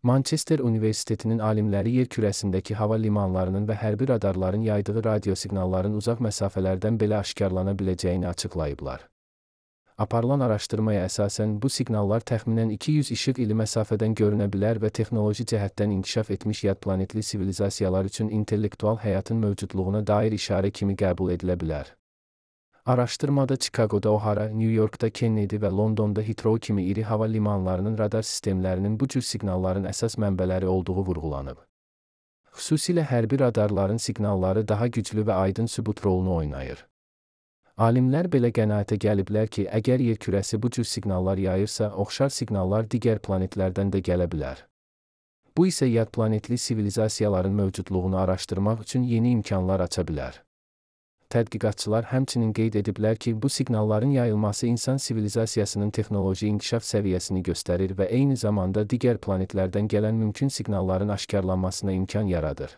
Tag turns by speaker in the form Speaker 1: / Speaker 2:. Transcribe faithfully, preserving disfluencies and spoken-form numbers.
Speaker 1: Manchester Universitetinin alimləri yer kürəsindəki hava limanlarının və hərbi radarların yaydığı radiosiqnalların uzaq məsafələrdən belə aşkarlana biləcəyini açıqlayıblar. Aparılan araşdırmaya əsasən bu siqnallar təxminən iki yüz işıq ili məsafədən görünə bilər və texnoloji cəhətdən inkişaf etmiş yad planetli sivilizasiyalar üçün intellektual həyatın mövcudluğuna dair işarə kimi qəbul edilə bilər. Araşdırmada Chicago'da O'Hara, New York'da Kennedy və Londonda Heathrow kimi iri hava limanlarının radar sistemlərinin bu cür siqnalların əsas mənbələri olduğu vurğulanıb. Xüsusilə hərbi radarların siqnalları daha güclü və aydın sübut rolunu oynayır. Alimlər belə qənaətə gəliblər ki, əgər yer kürəsi bu cür siqnallar yayırsa, oxşar siqnallar digər planetlərdən də gələ bilər. Bu isə yad planetli sivilizasiyaların mövcudluğunu araşdırmaq üçün yeni imkanlar aça bilər. Tədqiqatçılar həmçinin qeyd ediblər ki, bu siqnalların yayılması insan sivilizasiyasının texnoloji inkişaf səviyyəsini göstərir və eyni zamanda digər planetlərdən gələn mümkün siqnalların aşkarlanmasına imkan yaradır.